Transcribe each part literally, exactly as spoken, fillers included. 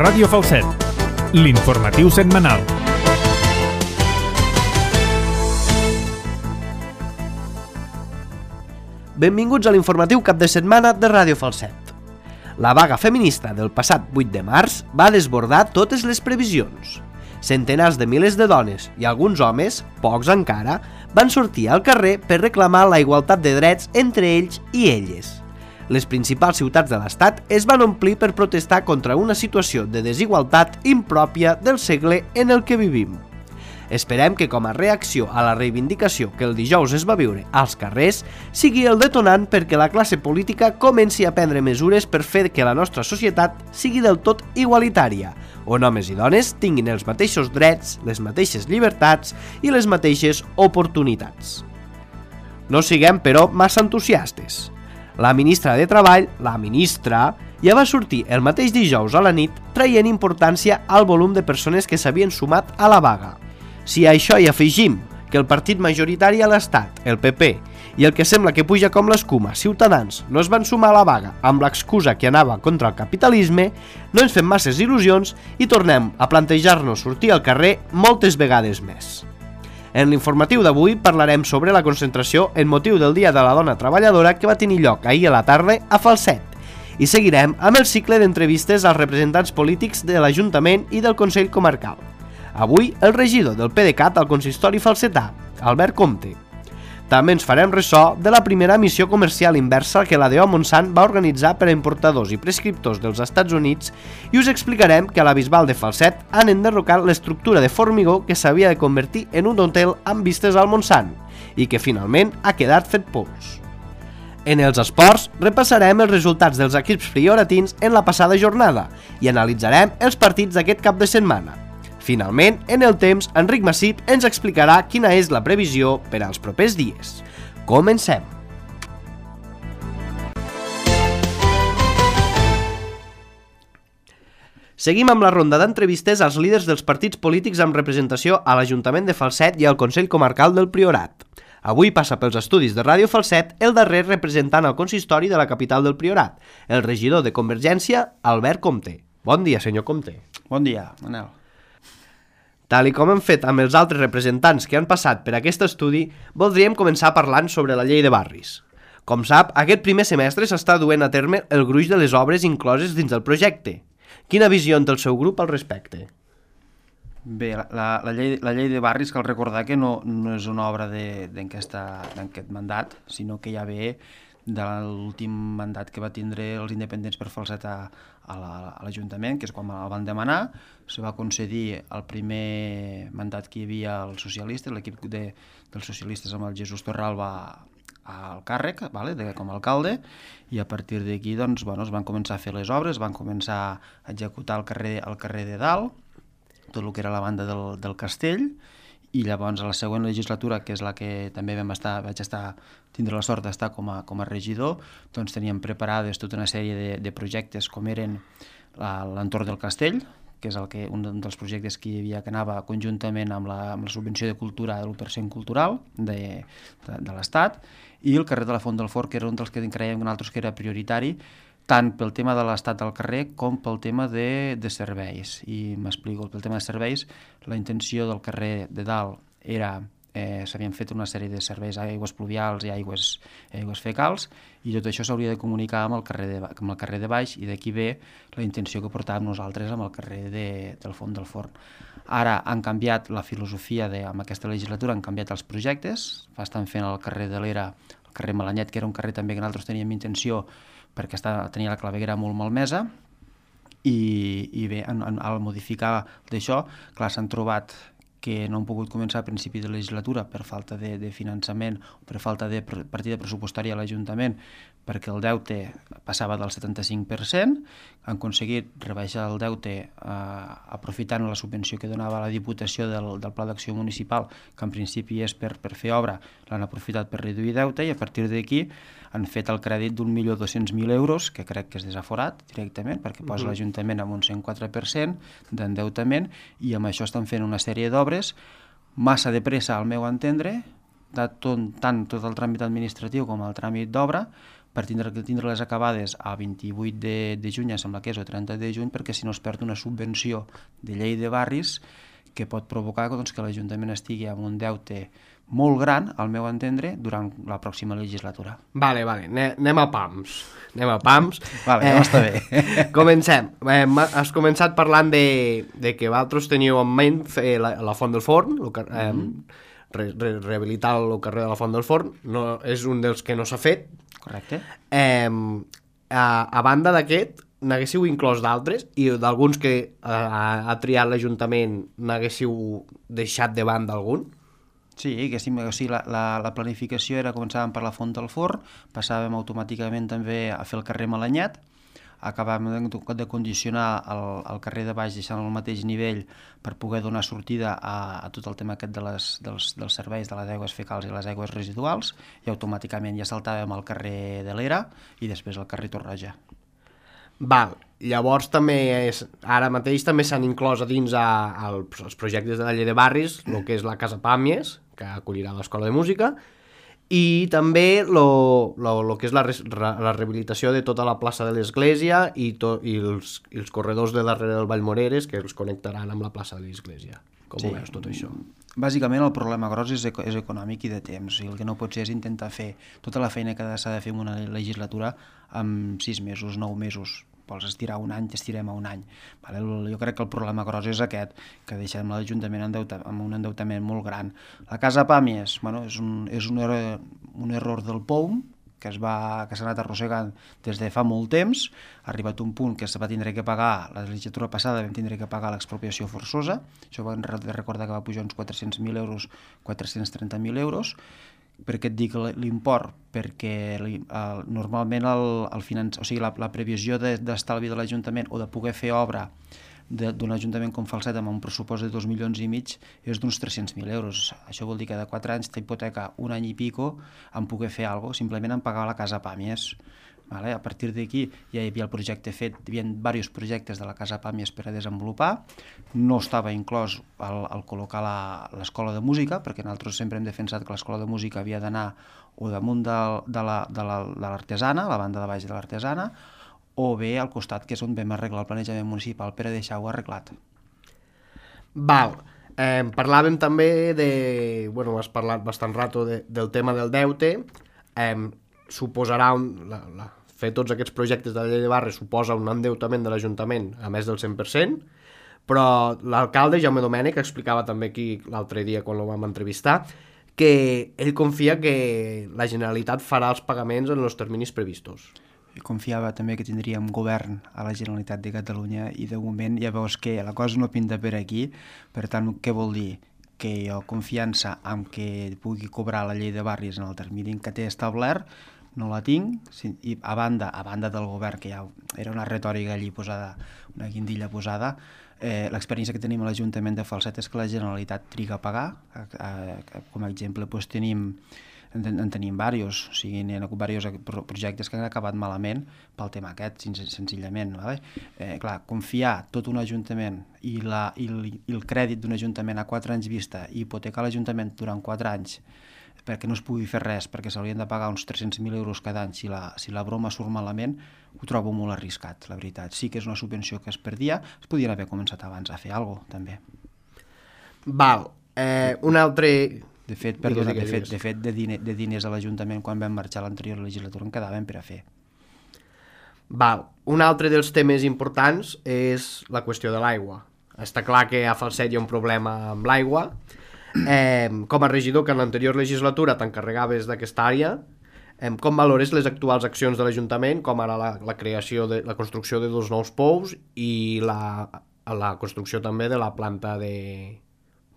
Ràdio Falset, l'informatiu setmanal. Benvinguts a l'informatiu cap de setmana de Ràdio Falset. La vaga feminista del passat vuit de març va desbordar totes les previsions. Centenars de milers de dones i alguns homes, pocs encara, van sortir al carrer per reclamar la igualtat de drets entre ells i elles. Les principals ciutats de l'estat es van omplir per protestar contra una situació de desigualtat impròpia del segle en el que vivim. Esperem que com a reacció a la reivindicació que el dijous es va viure als carrers sigui el detonant perquè la classe política comenci a prendre mesures per fer que la nostra societat sigui del tot igualitària, on homes i dones tinguin els mateixos drets, les mateixes llibertats i les mateixes oportunitats. No siguem, però, massa entusiastes. La ministra de Treball, la ministra, ja va sortir el mateix dijous a la nit traient importància al volum de persones que s'havien sumat a la vaga. Si a això hi afegim que el partit majoritari a l'Estat, el P P, i el que sembla que puja com l'escuma, Ciutadans, no es van sumar a la vaga amb l'excusa que anava contra el capitalisme, no ens fem masses il·lusions i tornem a plantejar-nos sortir al carrer moltes vegades més. En l'informatiu d'avui parlarem sobre la concentració en motiu del Dia de la Dona Treballadora que va tenir lloc ahir a la tarda a Falset i seguirem amb el cicle d'entrevistes als representants polítics de l'Ajuntament i del Consell Comarcal. Avui, el regidor del P D C A T al consistori falsetà, Albert Comte. També ens farem ressò de la primera missió comercial inversa que la D O Montsant va organitzar per a importadors i prescriptors dels Estats Units i us explicarem que a la Bisbal de Falset han enderrocat l'estructura de formigó que s'havia de convertir en un hotel amb vistes al Montsant i que finalment ha quedat fet pols. En els esports, repassarem els resultats dels equips prioratins en la passada jornada i analitzarem els partits d'aquest cap de setmana. Finalment, en el temps, Enric Massip ens explicarà quina és la previsió per als propers dies. Comencem! Seguim amb la ronda d'entrevistes als líders dels partits polítics amb representació a l'Ajuntament de Falset i al Consell Comarcal del Priorat. Avui passa pels estudis de Ràdio Falset el darrer representant al consistori de la capital del Priorat, el regidor de Convergència, Albert Comte. Bon dia, senyor Comte. Bon dia, Manel. Tal i com hem fet amb els altres representants que han passat per aquest estudi, voldríem començar parlant sobre la llei de barris. Com sap, aquest primer semestre s'està duent a terme el gruix de les obres incloses dins del projecte. Quina visió té el seu grup al respecte? Bé, la, la, la, llei, la llei de barris, cal recordar que no, no és una obra d'aquest mandat, sinó que ja ve de l'últim mandat que va tindre els independents per falsetar a l'Ajuntament, que és quan el van demanar. Se va concedir el primer mandat que hi havia als socialistes, l'equip de, dels socialistes amb el Jesús Torralba al càrrec, vale, de, com a alcalde, i a partir d'aquí doncs, bueno, es van començar a fer les obres, van començar a executar el carrer, el carrer de dalt, tot el que era la banda del, del castell, i llavors a la següent legislatura, que és la que també vam estar, vaig estar, tindre la sort d'estar com a, com a regidor, doncs teníem preparades tota una sèrie de, de projectes com eren l'entorn del castell, que és el que, un dels projectes que hi havia que anava conjuntament amb la, amb la subvenció de cultura de l'u per cent cultural de, de, de l'Estat, i el carrer de la Font del Fort, que era un dels que creiem nosaltres que era prioritari, tant pel tema de l'estat del carrer com pel tema de, de serveis. I m'explico, pel tema de serveis, la intenció del carrer de dalt era, eh, s'havien fet una sèrie de serveis a aigües pluvials i aigües, aigües fecals, i tot això s'hauria de comunicar amb el carrer de, amb el carrer de baix, i d'aquí ve la intenció que portàvem nosaltres amb el carrer de, del Font del Forn. Ara han canviat la filosofia, de, amb aquesta legislatura han canviat els projectes, estan fent el carrer de l'Era, el carrer Malanyet, que era un carrer també que nosaltres teníem intenció perquè està, tenia la claveguera molt malmesa, i, i bé, en, en, al modificar d'això, clar, s'han trobat que no han pogut començar a principi de legislatura per falta de, de finançament o per falta de partida pressupostària a l'Ajuntament, perquè el deute passava del setanta-cinc per cent, han aconseguit rebaixar el deute eh, aprofitant la subvenció que donava la Diputació del, del Pla d'Acció Municipal, que en principi és per, per fer obra, l'han aprofitat per reduir deute, i a partir d'aquí han fet el crèdit d'un milió dos-cents mil euros, que crec que és desaforat directament, perquè posa uh-huh. l'Ajuntament amb un cent quatre per cent d'endeutament, i amb això estan fent una sèrie d'obres, massa de pressa al meu entendre, de tot, tant tot el tràmit administratiu com el tràmit d'obra, per tindre-les tindre acabades a vint-i-vuit de, de juny, sembla que és, o trenta de juny, perquè si no es perd una subvenció de llei de barris que pot provocar doncs, que l'Ajuntament estigui amb un deute molt gran, al meu entendre, durant la pròxima legislatura. Vale, vale, anem a pams. Anem a pams. Vale, ja eh, està bé. Comencem. Eh, has començat parlant de, de que vosaltres teníeu en ment fer la, la Font del Forn, el, eh, mm. re, re, rehabilitar el carrer de la Font del Forn. No, és un dels que no s'ha fet. Correcte. Eh, a, a banda d'aquest, n'haguéssiu inclòs d'altres i d'alguns que ha, ha triat l'Ajuntament n'haguéssiu deixat de banda algun? Sí, que sí, o sigui, la, la, la planificació era començàvem per la Font del Forn, passàvem automàticament també a fer el carrer Malanyat, acabàvem de, de condicionar el, el carrer de baix deixant al mateix nivell per poder donar sortida a, a tot el tema aquest de les, dels, dels serveis de les aigües fecals i les aigües residuals i automàticament ja saltàvem al carrer de l'Era i després al carrer Torroja. Val, llavors també és, ara mateix també s'han inclòs a dins a, a, als projectes de la llei de barris el que és la Casa Pàmies, que acollirà l'Escola de Música, i també lo, lo, lo que és la, la rehabilitació de tota la plaça de l'Església i, to, i, els, i els corredors de darrere del Vallmoreres que els connectaran amb la plaça de l'Església. Com sí. Ho veus tot això? Bàsicament el problema gros és, eco és econòmic i de temps. I el que no pot ser és intentar fer tota la feina que s'ha de fer en una legislatura en sis mesos, nou mesos. Vols estirar un any, t'estirem a un any. Vale? Jo crec que el problema gros és aquest, que deixem l'Ajuntament amb un endeutament molt gran. La Casa Pàmies, bueno, és, un, és un, error, un error del P O U M, que es va, que s'ha anat arrossegant des de fa molt temps, ha arribat un punt que se va tindre que pagar, la legislatura passada vam tindre que pagar l'expropiació forçosa, això vam recordar que va pujar uns quatre-cents mil euros, quatre-cents trenta mil euros. Per què et dic l'import? Perquè el, normalment el, el finanç... o sigui, la, la previsió d'estalvi de, de l'Ajuntament o de poder fer obra d'un ajuntament com Falset amb un pressupost de dos milions i mig és d'uns tres-cents mil euros. Això vol dir que de quatre anys t'hipoteca un any i pico en poder fer alguna cosa, simplement en pagar la Casa Pàmies. Vale? A partir d'aquí ja hi havia el projecte fet, hi havia diversos projectes de la Casa Pàmies per a desenvolupar, no estava inclòs el, el col·locar l'escola de música, perquè nosaltres sempre hem defensat que l'escola de música havia d'anar o damunt de, de l'artesana, la, la banda de baix de l'artesana, o bé al costat, que és on vam arreglar el planejament municipal per a deixar-ho arreglat. Val. Eh, parlàvem també de... Bueno, has parlat bastant rato de, del tema del deute. Eh, suposarà... Un, la, la, fer tots aquests projectes de la llei de barris suposa un endeutament de l'Ajuntament a més del cent per cent, però l'alcalde Jaume Domènech explicava també aquí l'altre dia quan el vam entrevistar que ell confia que la Generalitat farà els pagaments en els terminis previstos. Confiava també que tindríem govern a la Generalitat de Catalunya i de moment ja veus que la cosa no pinta per aquí, per tant, què vol dir? Que jo confiança en que pugui cobrar la llei de barris en el termini que té establert no la tinc, i a banda, a banda del govern, que ja era una retòrica allí posada, una guindilla posada, eh, l'experiència que tenim a l'Ajuntament de Falset és que la Generalitat triga a pagar. A, a, a, com a exemple doncs, tenim En, en tenim diversos, o sigui, hi ha hagut diversos projectes que han acabat malament pel tema aquest, senzillament. Vale? Eh, clar, confiar tot un ajuntament i, la, i, el, i el crèdit d'un ajuntament a quatre anys vista i hipotecar l'Ajuntament durant quatre anys perquè no es pugui fer res, perquè s'haurien de pagar uns tres-cents mil euros cada any si la, si la broma surt malament, ho trobo molt arriscat, la veritat. Sí que és una subvenció que es perdia, es podien haver començat abans a fer alguna cosa, també. Val. Eh, un altre... De fet, perdona, de fet, de, fet de, diner, de diners a l'Ajuntament quan vam marxar a l'anterior legislatura en quedaven per a fer. Val. Un altre dels temes importants és la qüestió de l'aigua. Està clar que a Falset hi ha un problema amb l'aigua. Eh, com a regidor que en l'anterior legislatura t'encarregaves d'aquesta àrea, eh, com valores les actuals accions de l'Ajuntament, com ara la, la creació de la construcció de dos nous pous i la, la construcció també de la planta de...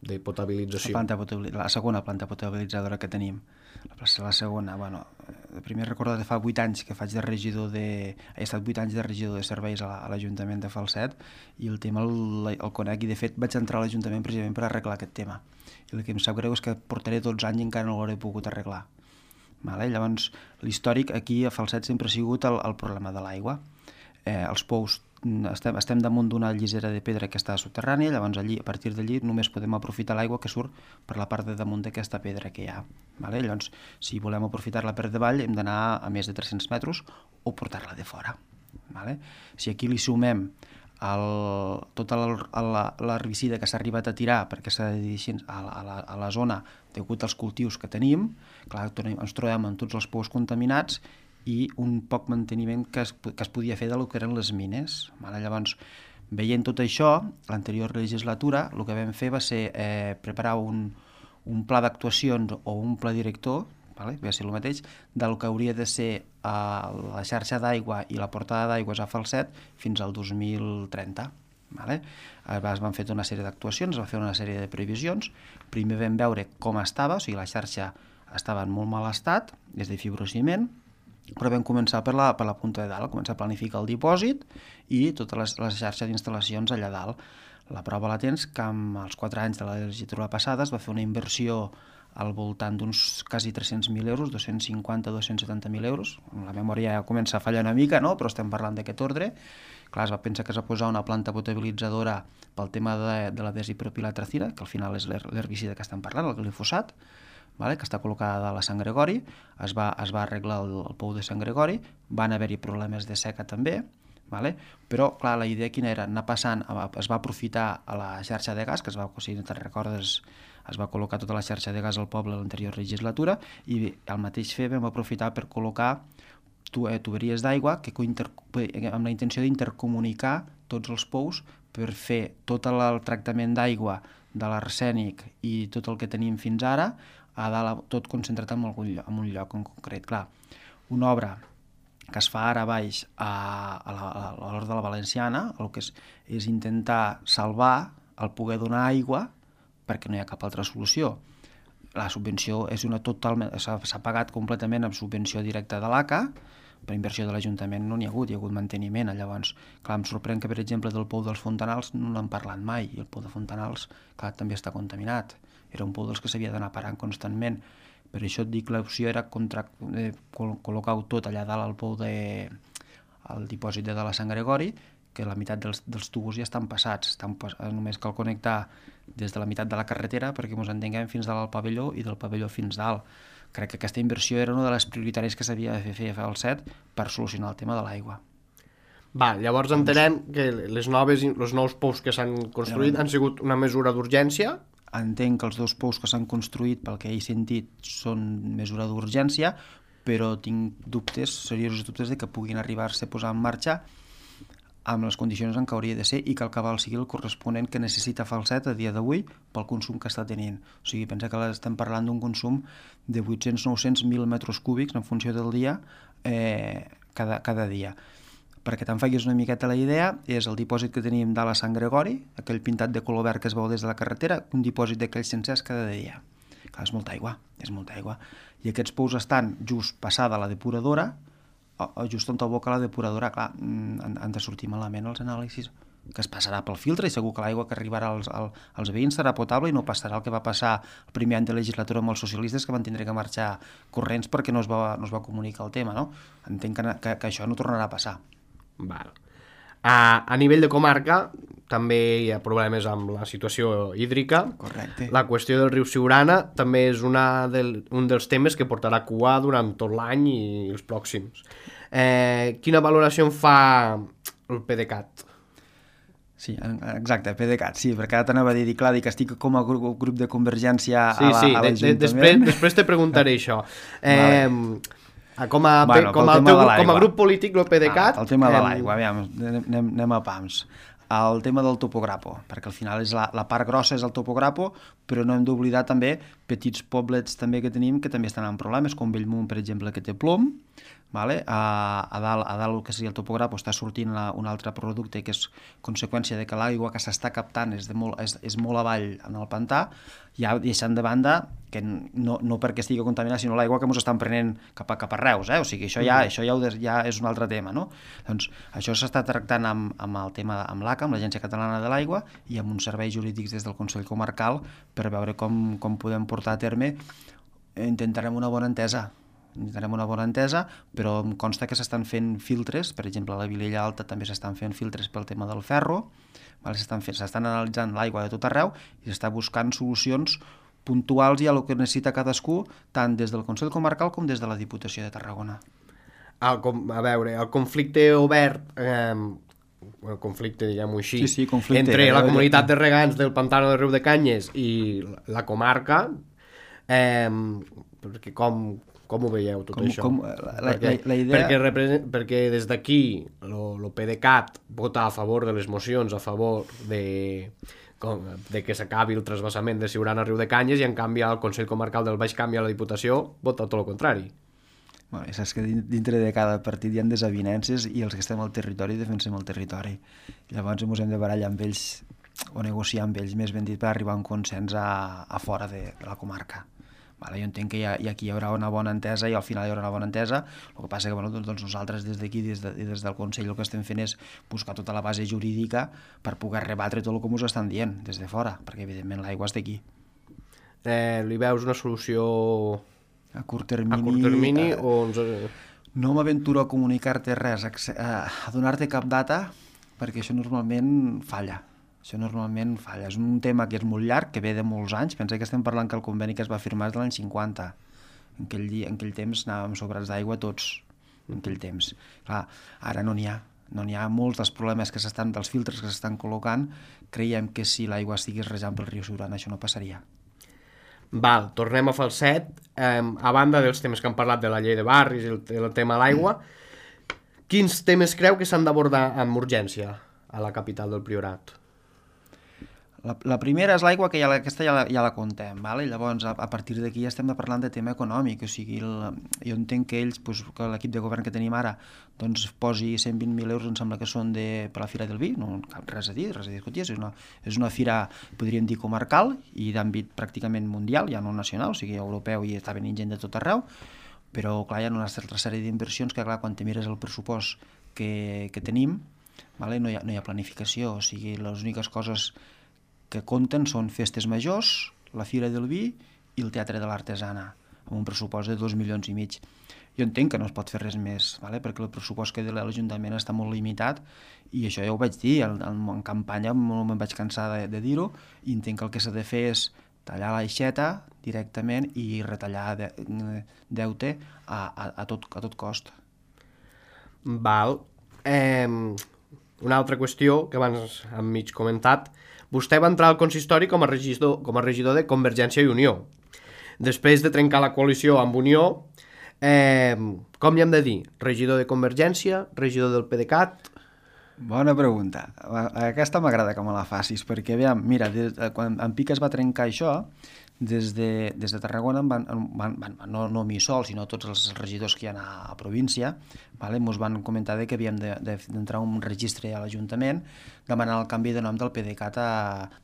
de potabilització. La, planta, la segona planta potabilitzadora que tenim. La, la segona, bueno, primer recordo que fa vuit anys que faig de regidor de... He estat vuit anys de regidor de serveis a l'Ajuntament de Falset i el tema el, el conec i de fet vaig entrar a l'Ajuntament precisament per arreglar aquest tema. I el que em sap greu és que portaré dotze anys i encara no l'hauré pogut arreglar. Vale? Llavors, l'històric aquí a Falset sempre ha sigut el, el problema de l'aigua. Eh, els pous estem, estem damunt d'una llisera de pedra que està subterrània, llavors allí, a partir d'allí només podem aprofitar l'aigua que surt per la part de damunt d'aquesta pedra que hi ha. Vale? Llavors, si volem aprofitar-la per davall, hem d'anar a més de tres-cents metres o portar-la de fora. Vale? Si aquí li sumem el, tota l'herbicida que s'ha arribat a tirar perquè s'ha de dir així a la, a, la, a la zona degut als cultius que tenim, clar, ens trobem amb tots els pous contaminats i un poc manteniment que es, que es podia fer del que eren les mines. Vale? Llavors, veient tot això, l'anterior legislatura el que vam fer va ser eh, preparar un, un pla d'actuacions o un pla director, vale? Va ser el mateix, del que hauria de ser eh, la xarxa d'aigua i la portada d'aigües a Falset fins al dos mil trenta. Vale? Es van fer una sèrie d'actuacions, es va fer una sèrie de previsions. Primer vam veure com estava, o sigui, la xarxa estava en molt mal estat, des de fibrociment, però vam començar per la, per la punta de dalt, començar a planificar el dipòsit i totes les, les xarxes d'instal·lacions allà dalt. La prova la tens que amb els quatre anys de la legislatura passada es va fer una inversió al voltant d'uns quasi tres-cents mil euros, dos-cents cinquanta a dos-cents setanta mil euros. La memòria ja comença a fallar una mica, no? Però estem parlant d'aquest ordre. Clar, es va pensar que es va posar una planta potabilitzadora pel tema de, de la desipropilatracina, que al final és l'herbicida que estem parlant, el glifosat, vale? Que està col·locada a la Sant Gregori, es va, es va arreglar el, el pou de Sant Gregori, van haver-hi problemes de seca també, vale? Però clar, la idea quina era? Anar passant, es va aprofitar a la xarxa de gas, que es va, si no te'n recordes, es va col·locar tota la xarxa de gas al poble a l'anterior legislatura, i bé, al mateix fer vam aprofitar per col·locar tuberies d'aigua que amb la intenció d'intercomunicar tots els pous per fer tot el tractament d'aigua de l'arsènic i tot el que tenim fins ara, a dalt, tot concentrat en, algun lloc, en un lloc en concret. Clar, una obra que es fa ara a baix a, a l'Hort de la Valenciana, el que és, és intentar salvar el poder donar aigua perquè no hi ha cap altra solució. La subvenció és una totalment, s'ha pagat completament amb subvenció directa de l'A C A, per inversió de l'Ajuntament no n'hi ha hagut, hi ha hagut manteniment. Llavors, clar, em sorprèn que, per exemple, del pou dels Fontanals no n'han parlat mai, i el pou de Fontanals, clar, també està contaminat. Era un pou dels que s'havia d'anar parant constantment. Per això et dic, l'opció era contra, eh, col·locar-ho tot allà dalt al pou de, al dipòsit de la Sant Gregori, que la meitat dels, dels tubos ja estan passats, estan pas, només cal connectar des de la meitat de la carretera perquè ens entenguem fins dalt al pavelló i del pavelló fins dalt. Crec que aquesta inversió era una de les prioritàries que s'havia de fer a Falset per solucionar el tema de l'aigua. Va, llavors entenem que les noves, els nous pous que s'han construït han sigut una mesura d'urgència. Entenc que els dos pous que s'han construït, pel que he sentit, són mesura d'urgència, però tinc dubtes, seriosos dubtes, de que puguin arribar-se a posar en marxa amb les condicions en què hauria de ser i que el cabal sigui el corresponent que necessita Falset a dia d'avui pel consum que està tenint. O sigui, pensa que estem parlant d'un consum de vuit-cents a nou-cents mil metres cúbics en funció del dia, eh, cada, cada dia. Perquè te'n facis una miqueta la idea, és el dipòsit que tenim dalt a Sant Gregori, aquell pintat de color verd que es veu des de la carretera, un dipòsit d'aquells sencers cada dia. Clar, és molta aigua, és molta aigua. I aquests pous estan just passada la depuradora, just on aboca la depuradora. Clar, han de sortir malament els anàlisis, que es passarà pel filtre i segur que l'aigua que arribarà als, als veïns serà potable i no passarà el que va passar el primer any de legislatura amb els socialistes, que van tindre que marxar corrents perquè no es va, no es va comunicar el tema, no? Entenc que, que, que això no tornarà a passar. Val. A, a nivell de comarca també hi ha problemes amb la situació hídrica. Correcte. La qüestió del riu Siurana també és una del, un dels temes que portarà cua durant tot l'any i els pròxims. Eh, quina valoració en fa el PDeCAT? Sí, exacte, PDeCAT, sí, perquè ara t'anava a dir, clar, que estic com a grup, grup de convergència sí, a, la, sí, a l'Ajuntament. Sí, després, després te preguntaré això. Eh, vale. Com a, bueno, com, a teu, com a grup polític, el PDeCAT... Ah, el tema de l'aigua, aviam, anem, anem a pams. El tema del topograpo, perquè al final és la, la part grossa és el topograpo, però no hem d'oblidar també petits poblets també que tenim que també estan en problemes, com Bellmunt, per exemple, que té plom. Vale? A, a, dalt, a dalt el que seria el topograpo està sortint la, un altre producte que és conseqüència de que l'aigua que s'està captant és, de molt, és, és molt avall en el pantà, ja deixant de banda que no, no perquè estigui contaminat, sinó l'aigua que ens estan prenent cap a, cap a Reus, eh? O sigui, això ja, mm. això ja, ja és un altre tema, no? Doncs això s'està tractant amb, amb el tema amb l'A C A, amb l'Agència Catalana de l'Aigua, i amb uns serveis jurídics des del Consell Comarcal per veure com, com podem portar a terme. Intentarem una bona entesa. tindrem una bona entesa, però em consta que s'estan fent filtres, per exemple a la Vilella Alta també s'estan fent filtres pel tema del ferro, vale? s'estan fent, s'estan analitzant l'aigua de tot arreu i s'està buscant solucions puntuals i a el que necessita cadascú, tant des del Consell Comarcal com des de la Diputació de Tarragona. El, a veure, el conflicte obert... Eh... el conflicte, diguem-ho així, sí, sí, conflicte, entre eh, la comunitat de regants del Pantano de Riu de Canyes i la comarca, eh, perquè com, com ho veieu tot com, això? Com, la, perquè, la, la idea... perquè, represent, perquè des d'aquí el PDeCAT vota a favor de les mocions, a favor de, com, de que s'acabi el trasbassament de Siurana a Riu de Canyes, i en canvi el Consell Comarcal del Baix Camp i a la Diputació vota tot el contrari. Bueno, saps que dintre de cada partit hi ha desavinences i els que estem al territori defensem el territori. Llavors ens hem de barallar amb ells o negociar amb ells, més ben dit, per arribar a un consens a, a fora de, de la comarca. Vale, jo entenc que hi ha, aquí hi haurà una bona entesa i al final hi haurà una bona entesa. El que passa que bueno, doncs nosaltres des d'aquí, des, de, des del Consell, el que estem fent és buscar tota la base jurídica per poder rebatre tot el que ens estan dient des de fora, perquè evidentment l'aigua és d'aquí. Eh, li veus una solució... A curt termini... A curt termini eh, o... Ens... No m'aventuro a comunicar-te res, a, a donar-te cap data, perquè això normalment falla. Això normalment falla. És un tema que és molt llarg, que ve de molts anys. Pensa que estem parlant que el conveni que es va firmar és de l'any cinquanta. En aquell, dia, en aquell temps anàvem sobrats d'aigua tots, en aquell temps. Clar, ara no n'hi ha. No n'hi ha molts dels problemes que s'estan, dels filtres que s'estan col·locant. Creiem que si l'aigua estigués rejant pel riu Siurana això no passaria. Val, tornem a Falset. Eh, a banda dels temes que han parlat de la llei de barris i el, el tema de l'aigua, quins temes creu que s'han d'abordar amb urgència a la capital del Priorat? La, la primera és l'aigua, que ja la, aquesta ja la, ja la contem, vale? Llavors a, a partir d'aquí ja estem parlant de tema econòmic, o sigui, el, jo entenc que ells, pues, que l'equip de govern que tenim ara, doncs posi cent vint mil euros, em sembla que són de, per la Fira del Vi, no res a dir, res a discutir, és una, és una fira, podríem dir, comarcal i d'àmbit pràcticament mundial, ja no nacional, o sigui, europeu, i està venint gent de tot arreu, però clar, hi ha una altra sèrie d'inversions que clar, quan te mires el pressupost que, que tenim, vale? no, hi ha, no hi ha planificació, o sigui, les úniques coses que compten són festes majors, la Fira del Vi i el Teatre de l'Artesana, amb un pressupost de dos milions i mig. Jo entenc que no es pot fer res més, vale? perquè el pressupost que té l'Ajuntament està molt limitat, i això ja ho vaig dir, en, en campanya no me'n vaig cansar de, de dir-ho, i entenc que el que s'ha de fer és tallar l'aixeta directament i retallar de, deute a, a, a, tot, a tot cost. Val. Eh, una altra qüestió que abans hem mig comentat. Vostè va entrar al consistori com a regidor, com a regidor de Convergència i Unió. Després de trencar la coalició amb Unió, eh, com hi hem de dir? Regidor de Convergència, regidor del PDeCAT... Bona pregunta. Aquesta m'agrada que me la facis, perquè, aviam, mira, des, quan en Pica es va trencar això, des de, des de Tarragona, van, van, van, no, no a mi sol, sinó a tots els regidors que hi ha a, a província, vale? Ens van comentar que havíem d'entrar un registre a l'Ajuntament demanant el canvi de nom del PDeCAT a,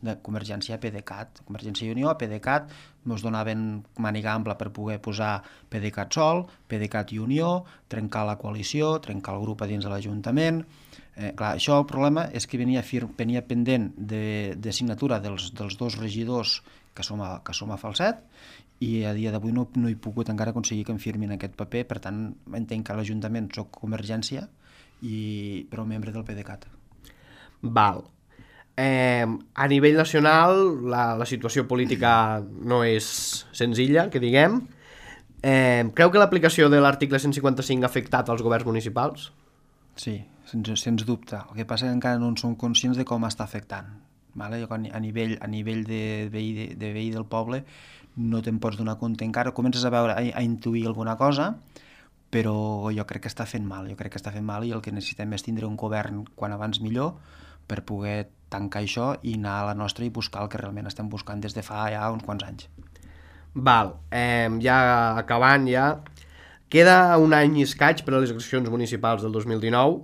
de Convergència a PDeCAT, Convergència i Unió a PDeCAT. Ens donaven màniga ampla per poder posar PDeCAT sol, PDeCAT i Unió, trencar la coalició, trencar el grup a dins de l'Ajuntament. Eh, clar, això el problema és que venia, fir, venia pendent de, de signatura dels, dels dos regidors que som a, que som a Falset, i a dia d'avui no, no he pogut encara aconseguir que em firmin aquest paper. Per tant, entenc que a l'Ajuntament soc Convergència, i, però membre del PDeCAT. Val. Eh, a nivell nacional la, la situació política no és senzilla, que diguem. Eh, creu que l'aplicació de l'article cent cinquanta-cinc ha afectat als governs municipals? Sí, sens, sens dubte. El que passa és que encara no en som conscients de com està afectant. Vale? A nivell, a nivell de, veí, de, de veí del poble no te'n pots donar compte encara. Comences a veure, a, a intuir alguna cosa, però jo crec que està fent mal. Jo crec que està fent mal, i el que necessitem és tindre un govern quan abans millor per poder tancar això i anar a la nostra i buscar el que realment estem buscant des de fa ja uns quants anys. Val, eh, ja acabant ja, queda un any i escaig per a les eleccions municipals del dos mil dinou.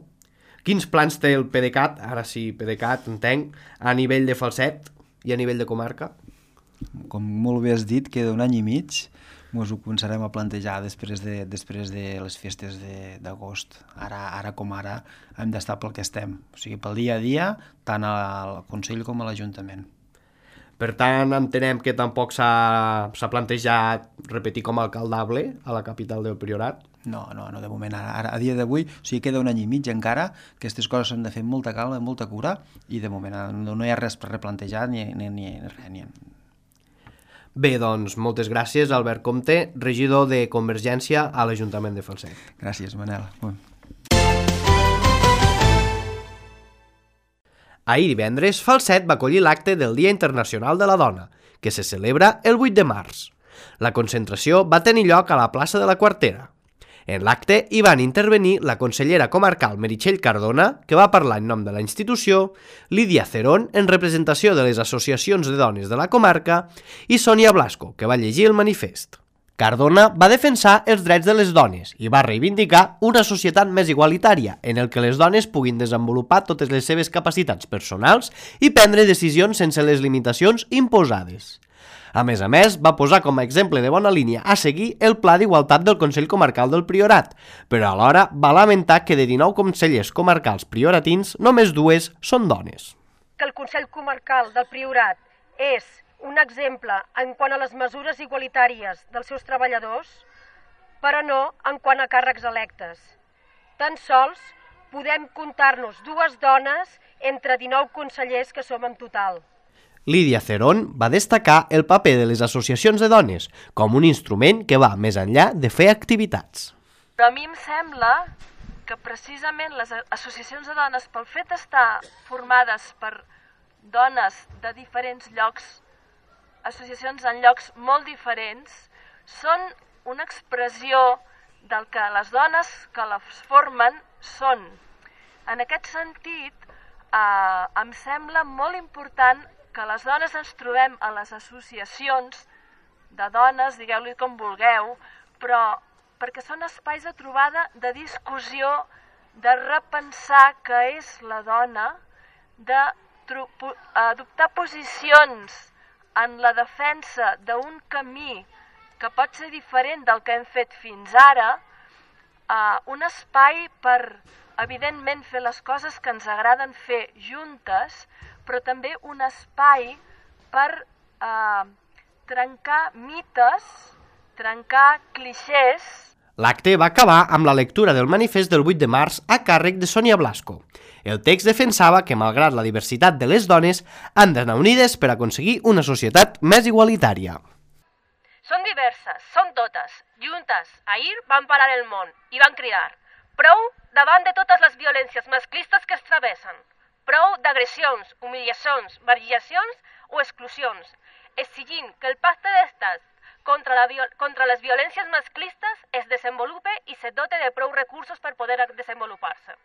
Quins plans té el PDeCAT, ara sí, PDeCAT, entenc, a nivell de Falset i a nivell de comarca? Com molt bé has dit, queda un any i mig. Ens ho començarem a plantejar després de, després de les festes d'agost. Ara, ara com ara hem d'estar pel que estem, o sigui, pel dia a dia, tant al Consell com a l'Ajuntament. Per tant, entenem que tampoc s'ha plantejat repetir com a alcaldable a la capital del Priorat. No, no, no, de moment, ara, ara a dia d'avui, o sigui, queda un any i mig encara, aquestes coses s'han de fer amb molta calma, amb molta cura, i de moment no, no hi ha res per replantejar ni, ni, ni res. Ni... Bé, doncs, moltes gràcies, Albert Comte, regidor de Convergència a l'Ajuntament de Falset. Gràcies, Manel. Ahir divendres, Falset va acollir l'acte del Dia Internacional de la Dona, que se celebra el vuit de març. La concentració va tenir lloc a la plaça de la Quartera. En l'acte hi van intervenir la consellera comarcal Meritxell Cardona, que va parlar en nom de la institució, Lídia Cerón, en representació de les associacions de dones de la comarca, i Sònia Blasco, que va llegir el manifest. Cardona va defensar els drets de les dones i va reivindicar una societat més igualitària en el que les dones puguin desenvolupar totes les seves capacitats personals i prendre decisions sense les limitacions imposades. A més a més, va posar com a exemple de bona línia a seguir el Pla d'Igualtat del Consell Comarcal del Priorat, però alhora va lamentar que de dinou consellers comarcals prioratins, només dues són dones. Que el Consell Comarcal del Priorat és un exemple en quant a les mesures igualitàries dels seus treballadors, però no en quant a càrrecs electes. Tan sols podem comptar-nos dues dones entre dinou consellers que som en total. Lídia Cerón va destacar el paper de les associacions de dones com un instrument que va més enllà de fer activitats. Però a mi em sembla que precisament les associacions de dones, pel fet d'estar formades per dones de diferents llocs, associacions en llocs molt diferents, són una expressió del que les dones que les formen són. En aquest sentit, eh, em sembla molt important que les dones ens trobem a les associacions de dones, digueu-li com vulgueu, però perquè són espais de trobada, de discussió, de repensar què és la dona, d'adoptar posicions en la defensa d'un camí que pot ser diferent del que hem fet fins ara, eh, un espai per, evidentment, fer les coses que ens agraden fer juntes, però també un espai per eh, trencar mites, trencar clixés. L'acte va acabar amb la lectura del manifest del vuit de març a càrrec de Sònia Blasco. El text defensava que, malgrat la diversitat de les dones, han d'anar unides per aconseguir una societat més igualitària. Són diverses, són totes, juntes. Ahir van parar el món i van cridar: prou davant de totes les violències masclistes que es travessen. Prou d'agressions, humiliacions, variacions o exclusions, exigint que el pacte d'estat contra, la contra les violències masclistes es desenvolupe i se dote de prou recursos per poder desenvolupar-se.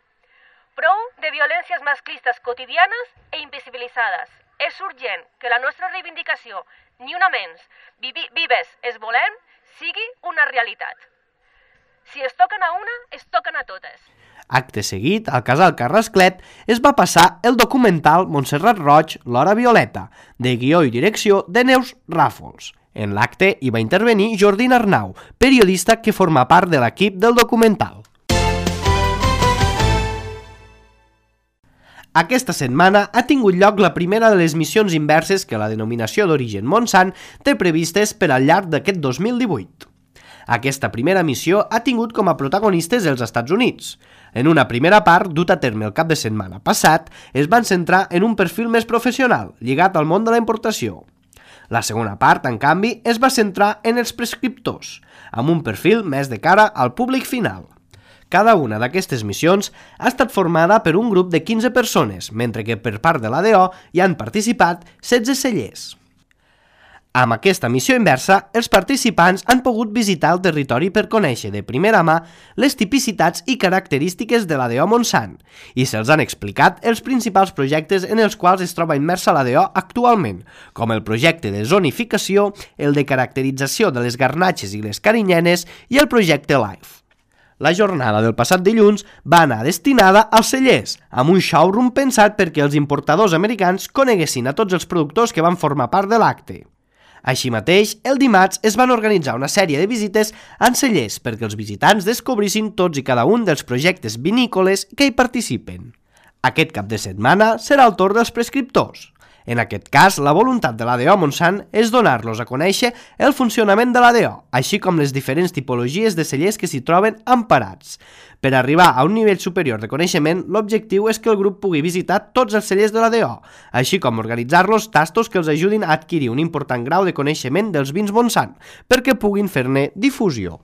Prou de violències masclistes quotidianes e invisibilitzades. És urgent que la nostra reivindicació, ni una menys, vives es volem, sigui una realitat. Si es toquen a una, es toquen a totes. Acte seguit, al casal Carrasclet es va passar el documental Montserrat Roig, l'hora violeta, de guió i direcció de Neus Ràfols. En l'acte hi va intervenir Jordina Arnau, periodista que forma part de l'equip del documental. Aquesta setmana ha tingut lloc la primera de les missions inverses que la denominació d'origen Montsant té previstes per al llarg d'aquest dos mil divuit. Aquesta primera missió ha tingut com a protagonistes els Estats Units. En una primera part, dut a terme el cap de setmana passat, es van centrar en un perfil més professional, lligat al món de la importació. La segona part, en canvi, es va centrar en els prescriptors, amb un perfil més de cara al públic final. Cada una d'aquestes missions ha estat formada per un grup de quinze persones, mentre que per part de l'A D O hi han participat setze cellers. Amb aquesta missió inversa, els participants han pogut visitar el territori per conèixer de primera mà les tipicitats i característiques de l'A D O Montsant i se'ls han explicat els principals projectes en els quals es troba immersa l'A D O actualment, com el projecte de zonificació, el de caracterització de les garnatxes i les carinyenes i el projecte LIFE. La jornada del passat dilluns va anar destinada als cellers, amb un showroom pensat perquè els importadors americans coneguessin a tots els productors que van formar part de l'acte. Així mateix, el dimarts es van organitzar una sèrie de visites en cellers perquè els visitants descobrissin tots i cada un dels projectes vinícoles que hi participen. Aquest cap de setmana serà el torn dels prescriptors. En aquest cas, la voluntat de l'A D O Montsant és donar-los a conèixer el funcionament de l'A D O, així com les diferents tipologies de cellers que s'hi troben emparats. Per arribar a un nivell superior de coneixement, l'objectiu és que el grup pugui visitar tots els cellers de l'A D O, així com organitzar-los tastos que els ajudin a adquirir un important grau de coneixement dels vins Montsant, perquè puguin fer-ne difusió.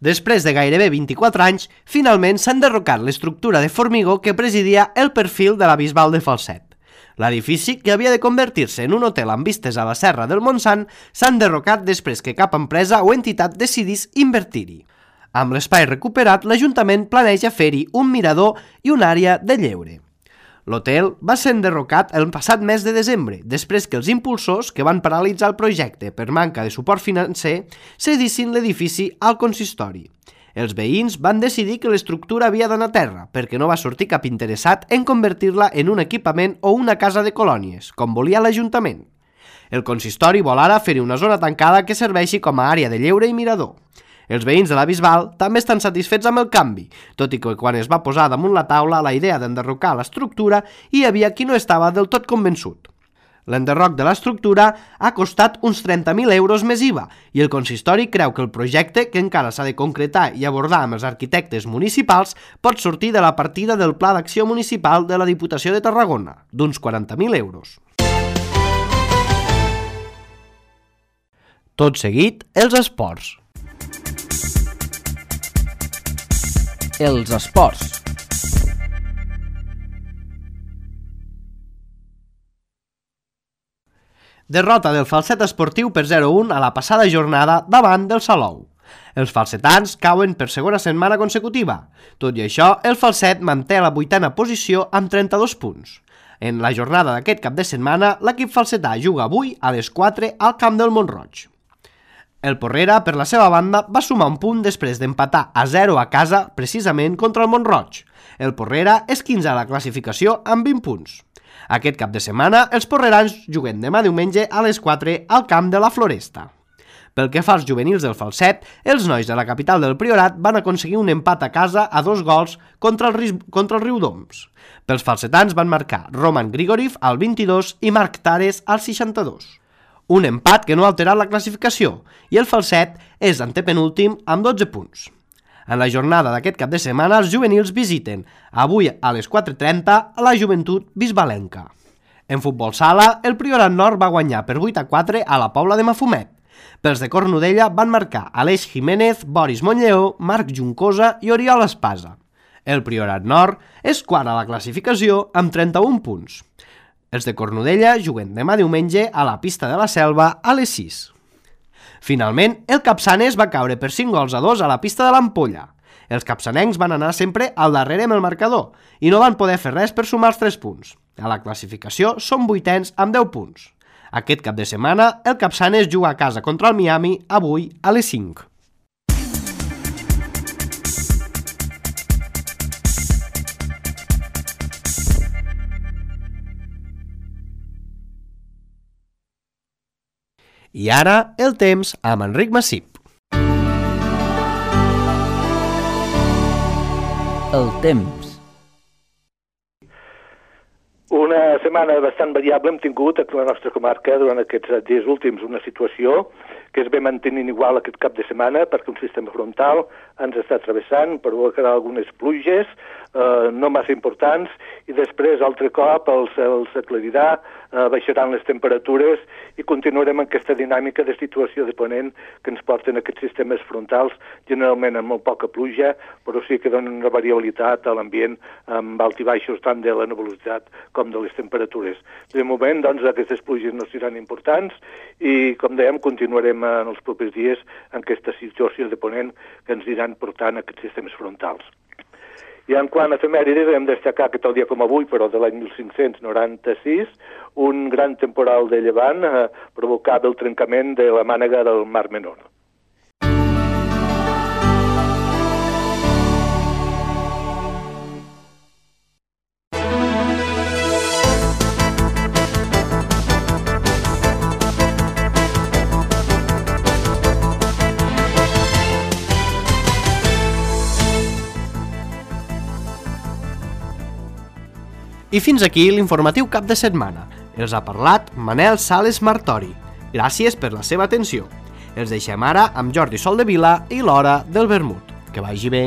Després de gairebé vint-i-quatre anys, finalment s'ha enderrocat l'estructura de formigó que presidia el perfil de la Bisbal de Falset. L'edifici, que havia de convertir-se en un hotel amb vistes a la Serra del Montsant, s'ha enderrocat després que cap empresa o entitat decidís invertir-hi. Amb l'espai recuperat, l'Ajuntament planeja fer-hi un mirador i una àrea de lleure. L'hotel va ser enderrocat el passat mes de desembre, després que els impulsors, que van paralitzar el projecte per manca de suport financer, cedissin l'edifici al consistori. Els veïns van decidir que l'estructura havia d'anar a terra, perquè no va sortir cap interessat en convertir-la en un equipament o una casa de colònies, com volia l'Ajuntament. El consistori vol ara fer-hi una zona tancada que serveixi com a àrea de lleure i mirador. Els veïns de la Bisbal també estan satisfets amb el canvi, tot i que quan es va posar damunt la taula la idea d'enderrocar l'estructura hi havia qui no estava del tot convençut. L'enderroc de l'estructura ha costat uns trenta mil euros més I V A i el consistori creu que el projecte, que encara s'ha de concretar i abordar amb els arquitectes municipals, pot sortir de la partida del Pla d'Acció Municipal de la Diputació de Tarragona, d'uns quaranta mil euros. Tot seguit, els esports. Els esports. Derrota del Falset Esportiu per zero a un a la passada jornada davant del Salou. Els falsetans cauen per segona setmana consecutiva. Tot i això, el Falset manté la vuitena posició amb trenta-dos punts. En la jornada d'aquest cap de setmana, l'equip falsetà juga avui a les quatre al camp del Mont-roig. El Porrera, per la seva banda, va sumar un punt després d'empatar a zero a casa, precisament contra el Mont-roig. El Porrera és quinzè a la classificació amb vint punts. Aquest cap de setmana, els porrerans juguen demà diumenge a les quatre al camp de la Floresta. Pel que fa als juvenils del Falset, els nois de la capital del Priorat van aconseguir un empat a casa a dos gols contra el, contra el Riudoms. Pels falsetans van marcar Roman Grigoriev al vint-i-dos i Marc Tares al seixanta-dos. Un empat que no ha alterat la classificació, i el Falset és antepenúltim amb dotze punts. En la jornada d'aquest cap de setmana, els juvenils visiten avui a les quatre trenta a la Joventut Bisbalenca. En futbol sala, el Priorat Nord va guanyar per vuit a quatre a la Pobla de Mafumet. Pels de Cornudella van marcar Aleix Jiménez, Boris Montlleó, Marc Juncosa i Oriol Espasa. El Priorat Nord és quart a la classificació amb trenta-un punts. Els de Cornudella juguen demà diumenge a la pista de la Selva a les sis. Finalment, el Capçanes va caure per cinc gols a dos a la pista de l'Ampolla. Els capçanencs van anar sempre al darrere amb el marcador i no van poder fer res per sumar els tres punts. A la classificació són vuitens amb deu punts. Aquest cap de setmana, el Capçanes juga a casa contra el Miami avui a les cinc. I ara, el temps amb Enric Massip. El temps. Una setmana bastant variable hem tingut a la nostra comarca durant aquests dies últims, una situació que es ve mantenint igual aquest cap de setmana perquè un sistema frontal ens està travessant, provocarà algunes pluges, eh, no massa importants, i després, altre cop, el cel s'aclarirà, eh, baixaran les temperatures i continuarem amb aquesta dinàmica de situació de ponent que ens porten aquests sistemes frontals, generalment amb molt poca pluja, però sí que donen una variabilitat a l'ambient amb alt i baixos tant de la nebulositat com de les temperatures. De moment, doncs, aquestes pluges no seran importants i, com dèiem, continuarem en els propers dies en aquesta situació de ponent que ens iran portant aquests sistemes frontals. I en quant a efemèrides, hem de destacar que tal dia com avui, però de l'any mil cinc-cents noranta-sis, un gran temporal de llevant eh, provocava el trencament de la mànega del Mar Menor. I fins aquí l'informatiu cap de setmana. Els ha parlat Manel Sales Martori. Gràcies per la seva atenció. Els deixem ara amb Jordi Soldevila i l'Hora del Vermut. Que vagi bé.